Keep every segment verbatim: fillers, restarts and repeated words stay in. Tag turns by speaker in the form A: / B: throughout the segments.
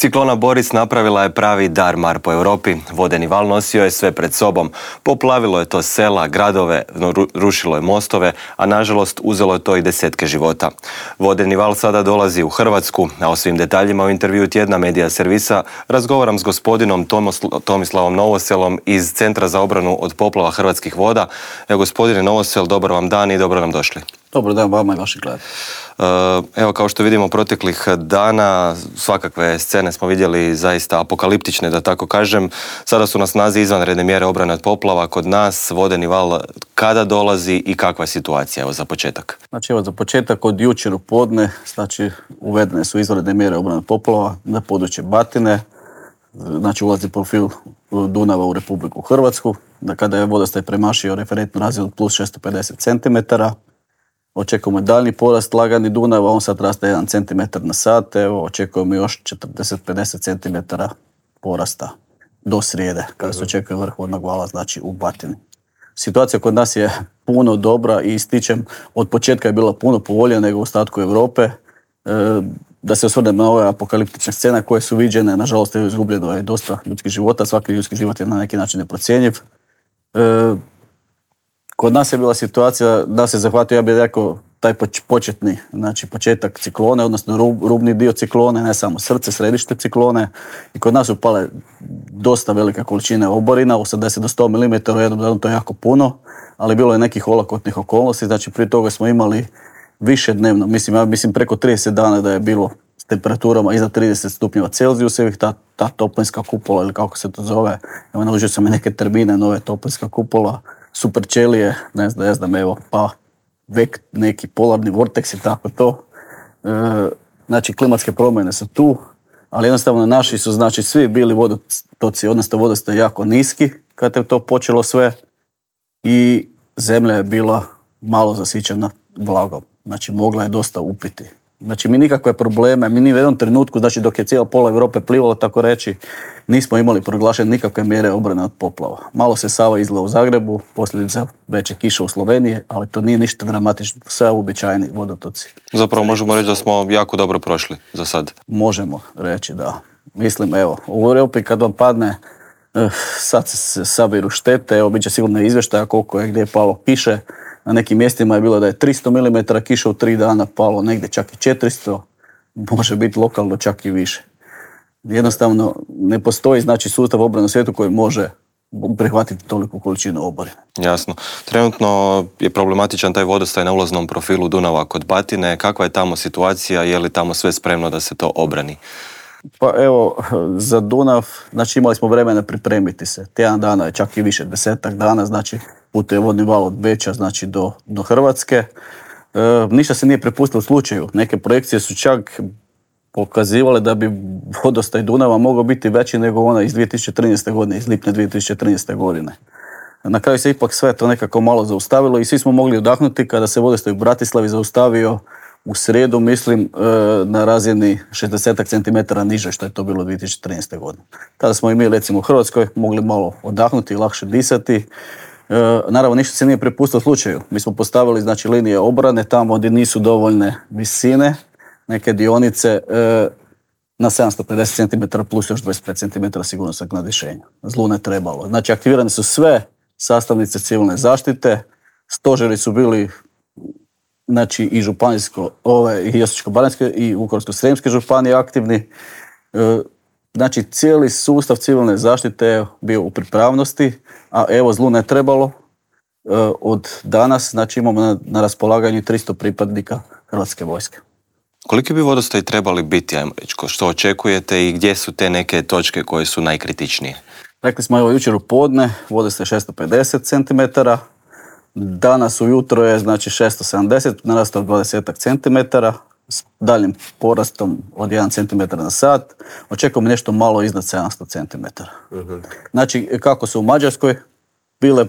A: Ciklona Boris napravila je pravi darmar po Europi. Vodeni val nosio je sve pred sobom. Poplavilo je to sela, gradove, rušilo je mostove, a nažalost uzelo je to i desetke života. Vodeni val sada dolazi u Hrvatsku, a o svim detaljima u intervju tjedna Medija servisa razgovaram s gospodinom Tomislavom Novoselom iz Centra za obranu od poplava Hrvatskih voda. Evo, gospodine Novosel, dobar vam dan i dobro nam došli.
B: Dobar dan vama i vaših gledatelja.
A: Evo, kao što vidimo proteklih dana, svakakve scene smo vidjeli zaista apokaliptične, da tako kažem. Sada su na snazi izvanredne mjere obrane od poplava kod nas. Vodeni val kada dolazi i kakva je situacija? Evo, za početak.
B: Znači, evo, za početak od jučer u podne, znači, uvedene su izvanredne mjere obrane od poplava na područje Batine. Znači, ulazi profil Dunava u Republiku Hrvatsku. Da kada je vodostaj premašio referentnu razinu od plus šesto pedeset centimetara, očekujemo daljnji porast lagani Dunava, on sad raste jedan centimetar na sat, evo, očekujemo još četrdeset do pedeset centimetara porasta do srijede, kada se očekuje vrh vodnog vala, znači u Batini. Situacija kod nas je puno dobra i ističem, od početka je bila puno povoljnija nego u ostatku Europe. E, da se osvrnem na ove apokaliptične scene koje su viđene, nažalost je izgubljeno je dosta ljudskih života, svaki ljudski život je na neki način neprocjenjiv. E, Kod nas je bila situacija da se zahvatio, ja bih rekao, taj početni, znači početak ciklone, odnosno rub, rubni dio ciklone, ne samo srce, središte ciklone. I kod nas su pale dosta velike količine oborina, osamdeset do sto milimetara u jednom danu, to je jako puno, ali bilo je nekih olakotnih okolnosti, znači prije toga smo imali više dnevno, mislim, ja mislim preko trideset dana da je bilo s temperaturama iznad trideset stupnjeva Celzijusevih, ta, ta toplinska kupola ili kako se to zove, evo naučio sam i neke termine, nove toplinska kupola, super ćelije, ne znam, ne znam, evo, pa vek, neki polarni vortex i tako to. E, znači, klimatske promjene su tu, ali jednostavno naši su, znači, svi bili vodotoci, odnosno vodostaj jako niski kad je to počelo sve i zemlja je bila malo zasićena vlagom, znači mogla je dosta upiti. Znači, mi nikakve probleme, mi ni u jednom trenutku, znači dok je cijela pola Europe plivalo, tako reći, nismo imali proglašene nikakve mjere obrane od poplava. Malo se Sava izlila u Zagrebu, posljedica veće kiše u Sloveniji, ali to nije ništa dramatično, sve uobičajeni vodotoci.
A: Zapravo možemo reći da smo jako dobro prošli za sad.
B: Možemo reći, da. Mislim, evo, u Europi kad vam padne, sad se sabiru štete, evo, bit će sigurno izvještaja koliko je gdje palo kiše. Na nekim mjestima je bilo da je tristo milimetara kiše u tri dana palo, negdje čak i četiristo, može biti lokalno čak i više. Jednostavno ne postoji, znači, sustav obrane u svijetu koji može prihvatiti toliku količinu oborine.
A: Jasno. Trenutno je problematičan taj vodostaj na ulaznom profilu Dunava kod Batine. Kakva je tamo situacija? Je li tamo sve spremno da se to obrani?
B: Pa evo, za Dunav, znači imali smo vremena pripremiti se. Tjedan dana je čak i više, desetak dana, znači putuje vodni val od Beča, znači do, do Hrvatske. E, ništa se nije prepustilo u slučaju. Neke projekcije su čak pokazivale da bi vodostaj Dunava mogao biti veći nego ona iz dvije tisuće trinaeste godine, iz lipnja dvije tisuće trinaeste godine. Na kraju se ipak sve to nekako malo zaustavilo i svi smo mogli odahnuti kada se vodostaj u Bratislavi zaustavio u srijedu, mislim, na razini šezdeset centimetara niže što je to bilo dvije tisuće trinaeste godine. Tada smo i mi, recimo u Hrvatskoj, mogli malo odahnuti i lakše disati. Naravno, ništa se nije prepustilo slučaju. Mi smo postavili, znači, linije obrane tamo gdje nisu dovoljne visine, neke dionice na sedamsto pedeset centimetara plus još dvadeset pet centimetara sigurnosnog nadvišenja. Zlu ne trebalo. Znači, aktivirane su sve sastavnice civilne zaštite, stožeri su bili, znači, i županijsko, ove, i Osječko-baranjske i Vukovarsko-srijemske županije aktivni. Znači, cijeli sustav civilne zaštite je bio u pripravnosti, a evo, zlu ne trebalo. Od danas, znači, imamo na, na raspolaganju tristo pripadnika Hrvatske vojske.
A: Koliki bi vodostaj trebali biti, ajmo reći, što očekujete i gdje su te neke točke koje su najkritičnije?
B: Rekli smo, evo, jučer u podne vodostaj šesto pedeset centimetara, danas ujutro je, znači, šesto sedamdeset, narastao dvadeset centimetara, s daljim porastom od jedan centimetar na sat, očekujemo nešto malo iznad sedamsto centimetara. Uh-huh. Znači, kako su u Mađarskoj bile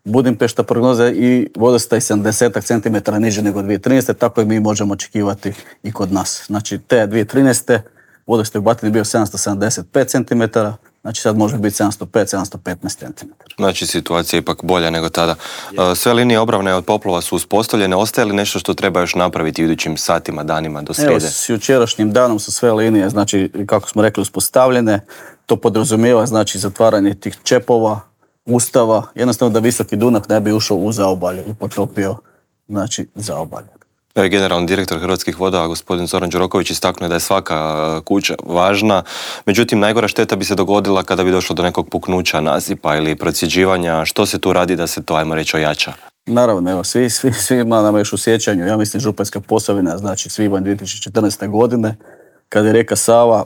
B: Budimpešta prognoze i vodostaj sedamdeset centimetara niže nego dvije tisuće trinaeste, tako i mi možemo očekivati i kod nas. Znači, te dvije tisuće trinaeste vodostaj u Batini bio sedamsto sedamdeset pet centimetara, Znači sad može biti sedamsto pet do sedamsto petnaest centimetara.
A: Znači situacija je ipak bolja nego tada. Je. Sve linije obrane od poplava su uspostavljene. Ostaje li nešto što treba još napraviti u idućim satima, danima do srijede?
B: Evo, s jučerašnjim danom su sve linije, znači kako smo rekli, uspostavljene. To podrazumijeva znači zatvaranje tih čepova, ustava, jednostavno da visoki Dunav ne bi ušao u zaobalje i potopio znači zaobalje.
A: Generalni direktor Hrvatskih voda, gospodin Zoran Đuroković, istaknuo da je svaka kuća važna. Međutim, najgora šteta bi se dogodila kada bi došlo do nekog puknuća nasipa ili procjeđivanja. Što se tu radi da se to, ajmo reći, ojača?
B: Naravno, evo, svi, svi, svima nam još u sjećanju, ja mislim Županjska Posavina, znači svibanj dvije tisuće četrnaeste. godine, kada je rijeka Sava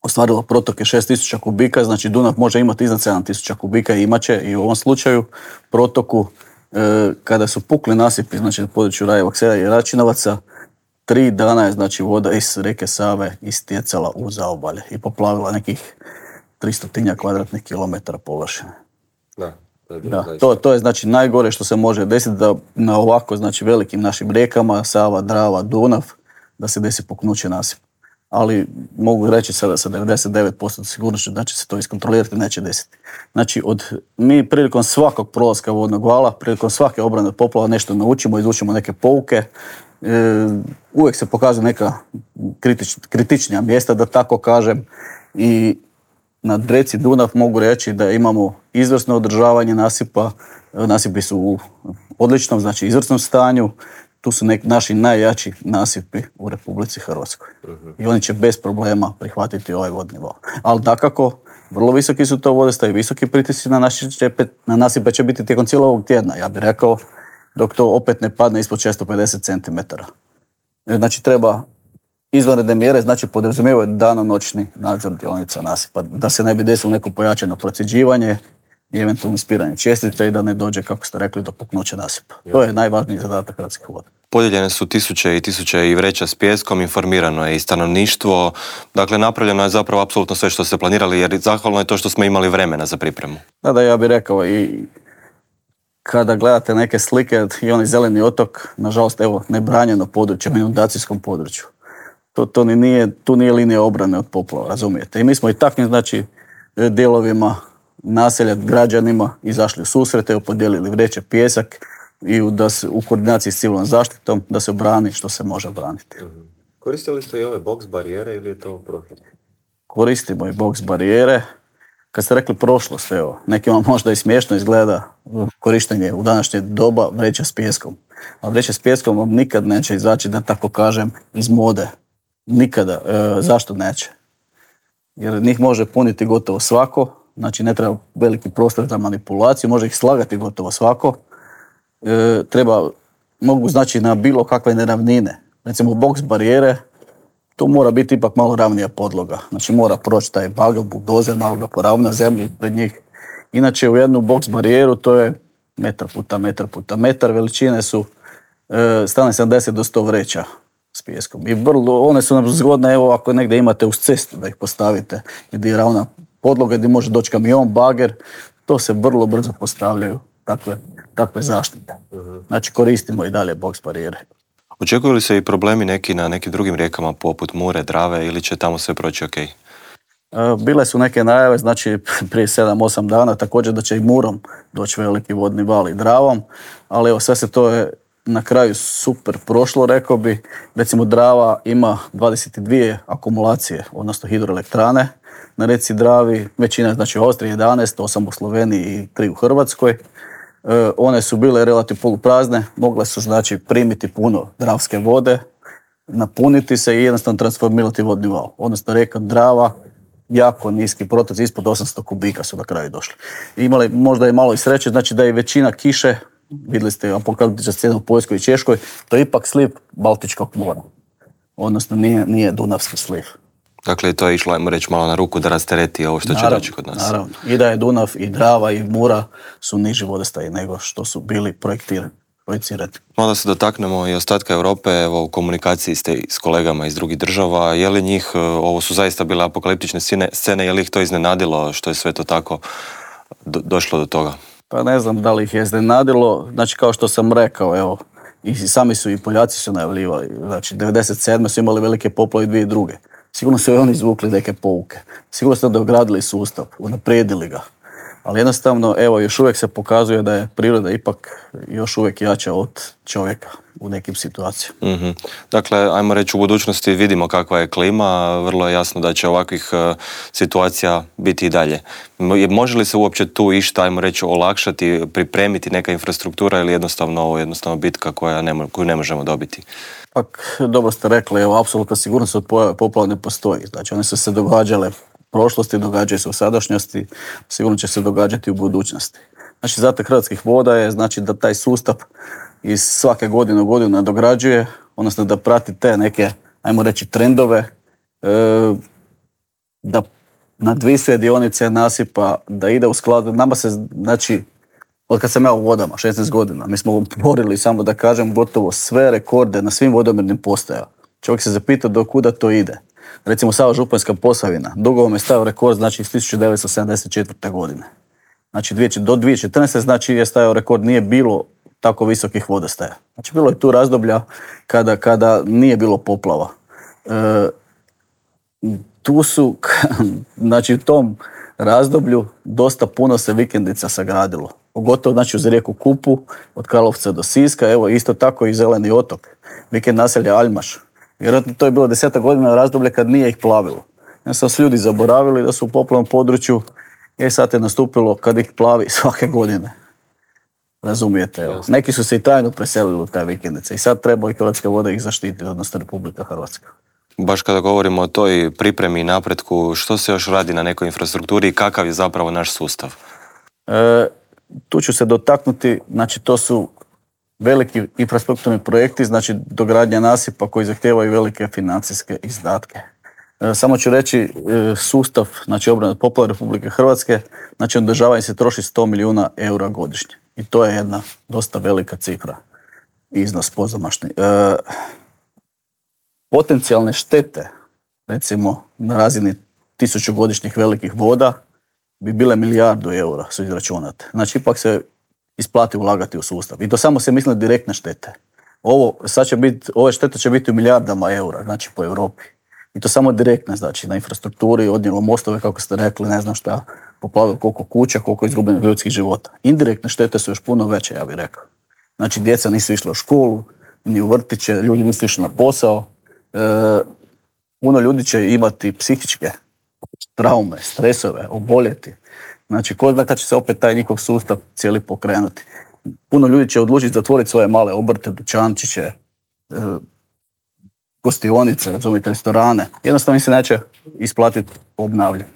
B: ostvarila protoke šest tisuća kubika, znači Dunav može imati iznad sedam tisuća kubika i imat će i u ovom slučaju protoku. E, kada su pukli nasipi, znači na području Rajevog Sela i Račinovaca, tri dana je znači voda iz rijeke Save istjecala u zaobalje i poplavila nekih tristo kvadratnih kilometara površine.
A: Da, to je,
B: da, to, to je znači najgore što se može desiti da na ovako znači velikim našim rijekama, Sava, Drava, Dunav, da se desi puknuće nasipa. Ali mogu reći sada sa devedeset devet posto sigurnošću da će se to iskontrolirati, neće desiti. Znači, od, mi prilikom svakog prolaska vodnog vala, prilikom svake obrane od poplava nešto naučimo, izučimo neke pouke. E, uvijek se pokazuju neka kritič, kritičnija mjesta, da tako kažem. I na reci Dunav mogu reći da imamo izvrsno održavanje nasipa. Nasipi su u odličnom, znači izvrsnom stanju. Tu su nek, naši najjači nasipi u Republici Hrvatskoj. Uh-huh. I oni će bez problema prihvatiti ovaj vodni val. Ali dakako, vrlo visoki su to vodostaj, visoki pritisci na, naši čepe, na nasipe će biti tijekom cijelog ovog tjedna, ja bih rekao, dok to opet ne padne ispod šesto pedeset centimetara. Znači treba izvanredne mjere, znači podrazumijevaju danonoćni nadzor dionica nasipa, da se ne bi desilo neko pojačano procjeđivanje i eventualno ispiranje čestica i da ne dođe, kako ste rekli, do puknuća nasipa. Ja. To je najvažniji zadatak Hrvatskih voda.
A: Podijeljene su tisuće i tisuće i vreća s pijeskom, informirano je i stanovništvo. Dakle, napravljeno je zapravo apsolutno sve što ste planirali, jer zahvalno je to što smo imali vremena za pripremu.
B: Da, da, ja bih rekao i kada gledate neke slike i onaj zeleni otok, nažalost, evo, nebranjeno područje, inundacijskom području. To, to ni nije, tu nije linija obrane od poplava, razumijete? I mi smo i takvim, znači, dijelovima naselja građanima izašli u susrete, podijelili vreće, pijesak i da se, u koordinaciji s civilnom zaštitom da se brani što se može braniti.
A: Mm-hmm. Koristili ste i ove boks barijere ili je to profit?
B: Koristimo i boks barijere. Kad ste rekli prošlost, evo, nekima možda i smiješno izgleda korištenje u današnje doba vreća s pijeskom. A vreća s pijeskom vam nikad neće izaći, da tako kažem, iz mode. Nikada. E, zašto neće? Jer njih može puniti gotovo svako. Znači ne treba veliki prostor za manipulaciju, može ih slagati gotovo svako. E, treba, mogu znači na bilo kakve neravnine. Recimo boks barijere, to mora biti ipak malo ravnija podloga. Znači mora proći taj bagel, buldozer, malo ga poravna zemlju pred njih. Inače u jednu boks barijeru to je metar puta metar puta metar, veličine su e, strane sedamdeset do sto vreća s pijeskom. I vrlo, one su nam zgodne, evo ako negdje imate uz cestu da ih postavite, gdje je ravna podloga, gdje može doći kamion, bager, to se vrlo brzo postavljaju takve, takve zaštite. Znači koristimo i dalje boks barijere.
A: Očekuju li se i problemi neki na nekim drugim rijekama poput Mure, Drave ili će tamo sve proći ok?
B: Bile su neke najave, znači prije sedam osam dana također da će i Murom doći veliki vodni val i Dravom, ali evo sve se to je na kraju super prošlo, rekao bi. Recimo Drava ima dvadeset dvije akumulacije, odnosno hidroelektrane. Na reci Dravi većina, znači u Austriji jedanaest, osam u Sloveniji i tri u Hrvatskoj. E, one su bile relativno poluprazne, mogle su znači primiti puno dravske vode, napuniti se i jednostavno transformirati vodni val. Odnosno rijeka Drava, jako niski protoci, ispod osamsto kubika su na kraju došli. I imali možda i malo i sreće, znači da je većina kiše, vidjeli ste apokaliptična scena u Poljskoj i Češkoj, to je ipak sliv Baltičkog mora. Odnosno nije, nije Dunavski sliv.
A: Dakle, to je išlo, ajmo reći, malo na ruku da rastereti ovo što
B: naravno,
A: će doći kod nas.
B: Naravno. I da je Dunav, i Drava, i Mura su niži vodostaji nego što su bili projektirani. projicirati.
A: Malo se dotaknemo i ostatka Europe, evo u komunikaciji ste s kolegama iz drugih država, je li njih, ovo su zaista bile apokaliptične scene, scene je li ih to iznenadilo što je sve to tako do, došlo do toga?
B: Pa ne znam da li ih je iznenadilo, znači kao što sam rekao, evo, i sami su i Poljaci su najavljivali, znači devedeset sedme su imali velike poplave i dvije druge. Sigurno su i oni izvukli neke pouke. Sigurno su dogradili sustav, unaprijedili ga. Ali jednostavno, evo, još uvijek se pokazuje da je priroda ipak još uvijek jača od čovjeka u nekim situacijama.
A: Mm-hmm. Dakle, ajmo reći, u budućnosti vidimo kakva je klima, vrlo je jasno da će ovakvih uh, situacija biti i dalje. Može li se uopće tu išta, ajmo reći, olakšati, pripremiti neka infrastruktura ili jednostavno ovo jednostavno bitka koja ne, koju ne možemo dobiti?
B: Pak, dobro ste rekli, evo, apsolutna sigurnost od pojave poplava ne postoji. Znači, one su se događale prošlosti, događaju se u sadašnjosti, sigurno će se događati u budućnosti. Znači, zadatak Hrvatskih voda je znači da taj sustav iz svake godine u godinu nadograđuje, odnosno da prati te neke, ajmo reći, trendove, e, da nadvisuje dionice nasipa, da ide u skladu. Nama se, znači, od kad sam ja u vodama, šesnaest godina, mi smo borili, samo da kažem, gotovo sve rekorde na svim vodomernim postajama. Čovjek se zapitao do kuda to ide. Recimo, Sava Županjska Posavina, Dugovom je stavio rekord, znači, iz tisuću devetsto sedamdeset četvrte. godine. Znači, do dvije tisuće četrnaeste. znači, je stavio rekord, nije bilo tako visokih vodostaja. Znači, bilo je tu razdoblja kada, kada nije bilo poplava. E, tu su, znači, u tom razdoblju dosta puno se vikendica sagradilo. Pogotovo, znači, uz rijeku Kupu, od Karlovca do Siska, evo, isto tako i Zeleni otok, vikend naselja Aljmaš. Vjerojatno to je bilo deseta godina razdoblje kad nije ih plavilo. Ja sam su ljudi zaboravili da su u poplavnom području, i sad je nastupilo kad ih plavi svake godine. Razumijete, evo. Neki su se i trajno preselili u taj vikendice i sad treba i Hrvatske vode ih zaštititi, odnosno Republika Hrvatska.
A: Baš kada govorimo o toj pripremi i napretku, što se još radi na nekoj infrastrukturi i kakav je zapravo naš sustav?
B: E, tu ću se dotaknuti, znači to su veliki infrastrukturni projekti, znači dogradnja nasipa koji zahtijevaju velike financijske izdatke. E, samo ću reći, e, sustav, znači obrane od poplava Republike Hrvatske, znači održavanje se troši sto milijuna eura godišnje. I to je jedna dosta velika cifra, iznos pozamašni. E, potencijalne štete, recimo na razini tisućugodišnjih velikih voda, bi bile milijardu eura, su izračunate. Znači, ipak se isplati ulagati u sustav. I to samo se misli direktne štete. Ovo, sad će biti, ove štete će biti u milijardama eura, znači po Europi. I to samo direktne, znači na infrastrukturi, odnijelo mostove, kako ste rekli, ne znam šta, poplavilo koliko kuća, koliko izgubljenih ljudskih života. Indirektne štete su još puno veće, ja bih rekao. Znači, djeca nisu išla u školu, ni u vrtiće, ljudi nisu išli na posao. E, puno ljudi će imati psihičke traume, stresove, oboljeti. Znači, ko zna kad će se opet taj njihov sustav cijeli pokrenuti. Puno ljudi će odlučiti zatvoriti svoje male obrte, dućančiće, e, gostionice, razumite, restorane. Jednostavno im se neće isplatiti obnavljati.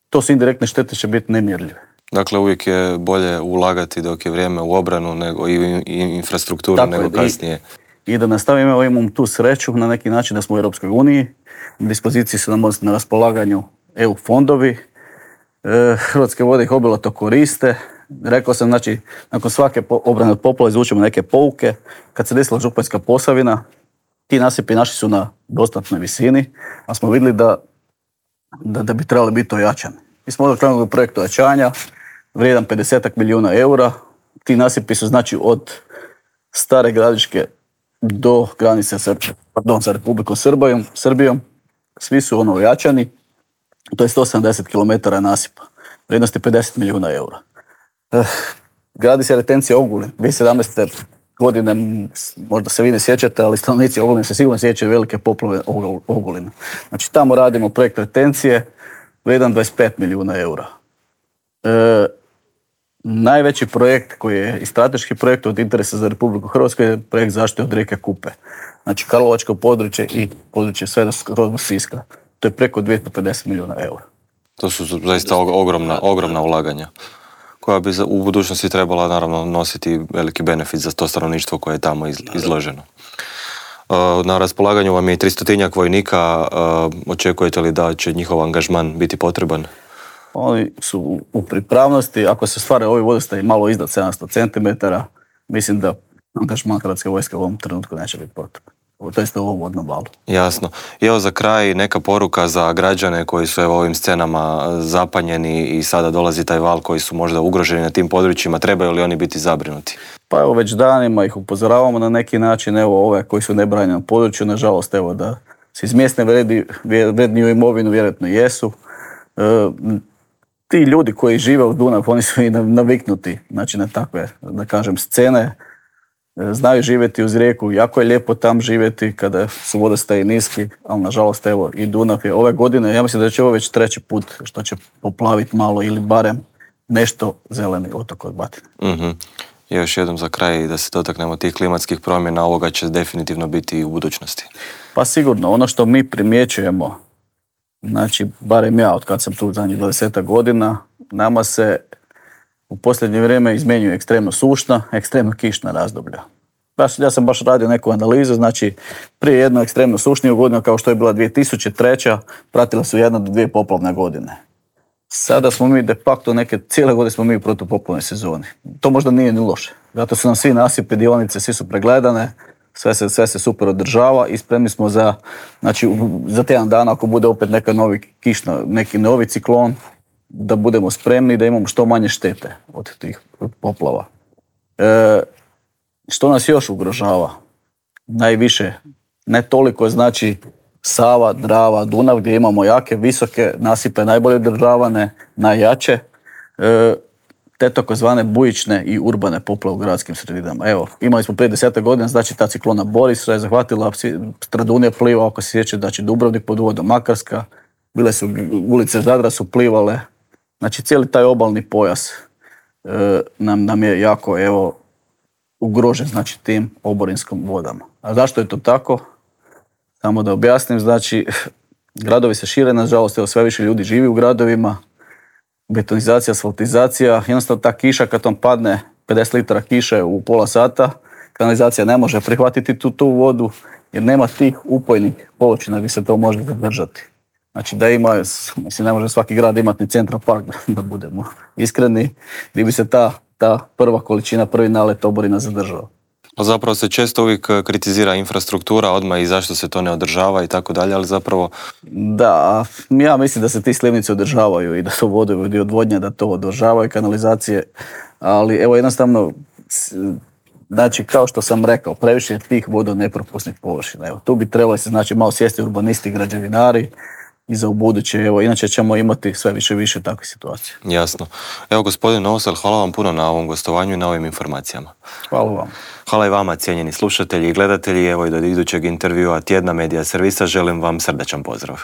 B: To su indirektne štete, će biti nemjerljive.
A: Dakle, uvijek je bolje ulagati dok je vrijeme u obranu nego i, i infrastrukturu tako nego je, kasnije.
B: I, I da nastavimo, imamo tu sreću na neki način da smo u Europskoj uniji. Na dispoziciji su nam na raspolaganju E U fondovi. E, Hrvatske vode ih obilato koriste. Rekao sam, znači, nakon svake obrane od poplava izvučemo neke pouke. Kad se desila Županjska Posavina, ti nasipi naši su na dostatnoj visini, a smo vidjeli da, da, da bi trebali biti ojačani. Mi smo onda krenuli u projekt ojačanja, vrijedan pedeset milijuna eura. Ti nasipi su, znači, od Stare Gradiške do granice sa, pardon, sa Republikom Srbijom, Srbijom. Svi su ono ojačani. To je sto sedamdeset kilometara nasipa. Vrijednost je pedeset milijuna eura. Eh, gradi se retencija Ogulin. dvije tisuće sedamnaeste. godine, možda se vi ne sjećate, ali stanovnici Ogulina se sigurno sjećaju velike poplave Ogulina. Znači, tamo radimo projekt retencije, vrijedan dvadeset pet milijuna eura. E, najveći projekt koji je i strateški projekt od interesa za Republiku Hrvatsku je projekt zaštite od rijeke Kupe. Znači, Karlovačko područje i područje sve do Siska. To je preko dvjesto pedeset milijuna eura.
A: To su zaista ogromna, ogromna ulaganja koja bi u budućnosti trebala naravno nositi veliki benefit za to stanovništvo koje je tamo izloženo. Na raspolaganju vam je i tristotinjak vojnika. Očekujete li da će njihov angažman biti potreban?
B: Oni su u pripravnosti. Ako se stvare ovi vodostaji malo iznad sedamsto centimetara, mislim da angažman Hrvatske vojske u ovom trenutku neće biti potreban. To jest u ovom vodnom valu.
A: Jasno. I evo za kraj neka poruka za građane koji su evo ovim scenama zapanjeni i sada dolazi taj val koji su možda ugroženi na tim područjima. Trebaju li oni biti zabrinuti?
B: Pa evo već danima ih upozoravamo na neki način. Evo ove koji su nebranjeni na području, nažalost evo da se izmjestne vredi, vredniju imovinu, vjerojatno jesu. E, ti ljudi koji žive u Dunav, oni su i naviknuti, znači na takve, da kažem, scene. E, znaju živjeti uz rijeku, jako je lijepo tam živjeti kada su vodostaji niski, ali nažalost evo i Dunav je ove godine, ja mislim da će ovo već treći put što će poplaviti malo ili barem nešto zeleni otok od Batine.
A: Mm-hmm. I još jednom za kraj da se dotaknemo tih klimatskih promjena, ovoga će definitivno biti i u budućnosti.
B: Pa sigurno, ono što mi primjećujemo, znači barem ja od kad sam tu zadnjih dvadeset godina, nama se u posljednje vrijeme izmjenjuje ekstremno sušna, ekstremno kišna razdoblja. Ja sam baš radio neku analizu, znači prije jednu ekstremno sušniju godinu kao što je bila dvije tisuće treća pratila su jedna do dvije poplavne godine. Sada smo mi de facto neke, cijele godine smo mi u protupoplavnoj sezoni. To možda nije ni loše. Zato su nam svi nasipi, dionice, svi su pregledane, sve se, sve se super održava i spremni smo za, znači, za tjedan dana ako bude opet neka novi kišna, neki novi ciklon, da budemo spremni da imamo što manje štete od tih poplava. E, što nas još ugrožava? Najviše, ne toliko znači Sava, Drava, Dunav gdje imamo jake, visoke nasipe, najbolje održavane, najjače, e, te takozvane bujične i urbane poplave u gradskim sredinama. Evo, imali smo prije desetak godina, znači ta ciklona Boris je zahvatila, Stradunija pliva, ako se sjeća, znači Dubrovnik pod vodom, Makarska, bile su ulice Zadra su plivale, znači cijeli taj obalni pojas e, nam, nam je jako, evo, ugrožen, znači tim oborinskom vodama. A zašto je to tako? Samo da objasnim, znači, gradovi se šire, nažalost, evo, sve više ljudi živi u gradovima, betonizacija, asfaltizacija, jednostavno ta kiša kad vam padne pedeset litara kiše u pola sata, kanalizacija ne može prihvatiti tu, tu vodu, jer nema tih upojnih površina gdje se to može zadržati. Znači da ima, mislim, ne može svaki grad imati ni Central Park, da budemo iskreni, gdje bi se ta, ta prva količina, prvi nalet oborina zadržao.
A: Zapravo se često uvijek kritizira infrastruktura odmah i zašto se to ne održava i tako dalje, ali zapravo...
B: Da, ja mislim da se ti slivnici održavaju i da to vodovod i odvodnja da to održavaju, kanalizacije, ali evo jednostavno, znači kao što sam rekao, previše je tih vodonepropusnih površina. Evo, tu bi trebali se znači malo sjesti urbanisti, građevinari i za ubuduće, evo, inače ćemo imati sve više i više takve situacije.
A: Jasno. Evo, gospodin Novosel, hvala vam puno na ovom gostovanju i na ovim informacijama.
B: Hvala vam.
A: Hvala i vama, cijenjeni slušatelji i gledatelji. Evo i do idućeg intervjua Tjedna Medija servisa želim vam srdačan pozdrav.